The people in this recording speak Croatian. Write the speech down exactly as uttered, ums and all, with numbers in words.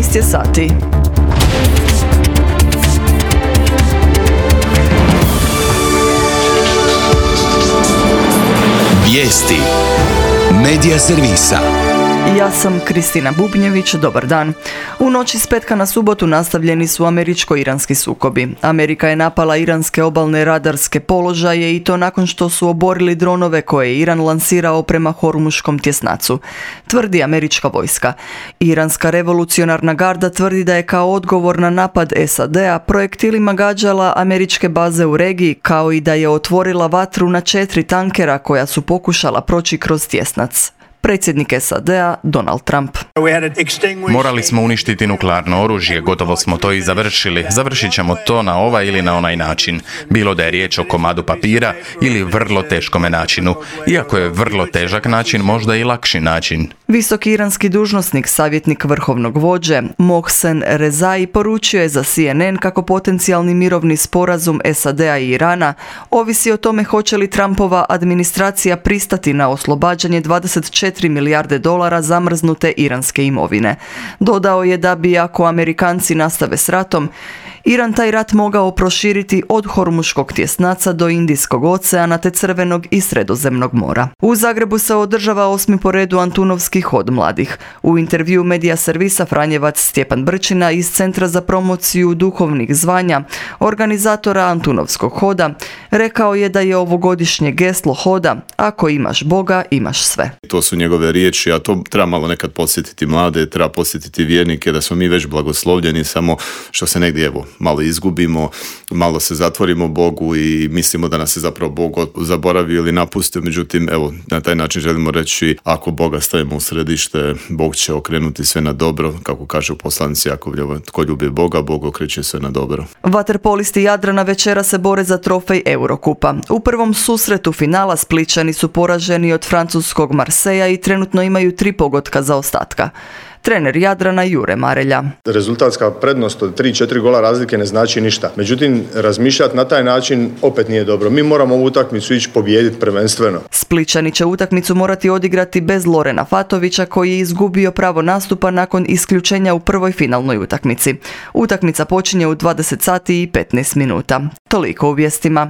jedanaest je sati. Vijesti Medija servisa. Ja sam Kristina Bubnjević, dobar dan. U noći s petka na subotu nastavljeni su američko-iranski sukobi. Amerika je napala iranske obalne radarske položaje i to nakon što su oborili dronove koje je Iran lansirao prema Hormuškom tjesnacu, tvrdi američka vojska. Iranska revolucionarna garda tvrdi da je kao odgovor na napad S A D-a projektilima gađala američke baze u regiji, kao i da je otvorila vatru na četiri tankera koja su pokušala proći kroz tjesnac. Predsjednik S A D-a Donald Trump. Morali smo uništiti nuklearno oružje, gotovo smo to i završili. Završit ćemo to na ovaj ili na onaj način. Bilo da je riječ o komadu papira ili vrlo teškome načinu. Iako je vrlo težak način, možda i lakši način. Visoki iranski dužnosnik, savjetnik vrhovnog vođe Mohsen Rezai poručio je za C N N kako potencijalni mirovni sporazum S A D-a i Irana ovisi o tome hoće li Trumpova administracija pristati na oslobađanje dvadeset četiri milijarde dolara zamrznute iranske imovine. Dodao je da bi, ako Amerikanci nastave s ratom, Iran taj rat mogao proširiti od Hormuškog tjesnaca do Indijskog oceana te Crvenog i Sredozemnog mora. U Zagrebu se održava osmi po redu Antunovski hod mladih. U intervju Medija servisa Franjevac Stjepan Brčina iz Centra za promociju duhovnih zvanja, organizatora Antunovskog hoda, rekao je da je ovogodišnje geslo hoda "Ako imaš Boga, imaš sve". To su njegove riječi, a to treba malo nekad podsjetiti mlade, treba podsjetiti vjernike da smo mi već blagoslovljeni, samo što se negdje evo malo izgubimo, malo se zatvorimo Bogu i mislimo da nas je zapravo Bog zaboravio ili napustio. Međutim, evo, na taj način želimo reći, ako Boga stavimo u središte, Bog će okrenuti sve na dobro, kako kaže u poslanici Jakovljeva, tko ljubi Boga, Bog okreće sve na dobro. Vaterpolisti Jadrana večera se bore za trofej Eurokupa. U prvom susretu finala Splićani su poraženi od francuskog Marseja i trenutno imaju tri pogotka zaostatka. Trener Jadrana Jure Marelja. Rezultatska prednost od tri četiri gola razlike ne znači ništa. Međutim, razmišljati na taj način opet nije dobro. Mi moramo ovu utakmicu ići pobijediti prvenstveno. Splićani će utakmicu morati odigrati bez Lorena Fatovića koji je izgubio pravo nastupa nakon isključenja u prvoj finalnoj utakmici. Utakmica počinje u dvadeset sati i petnaest minuta. Toliko u vijestima.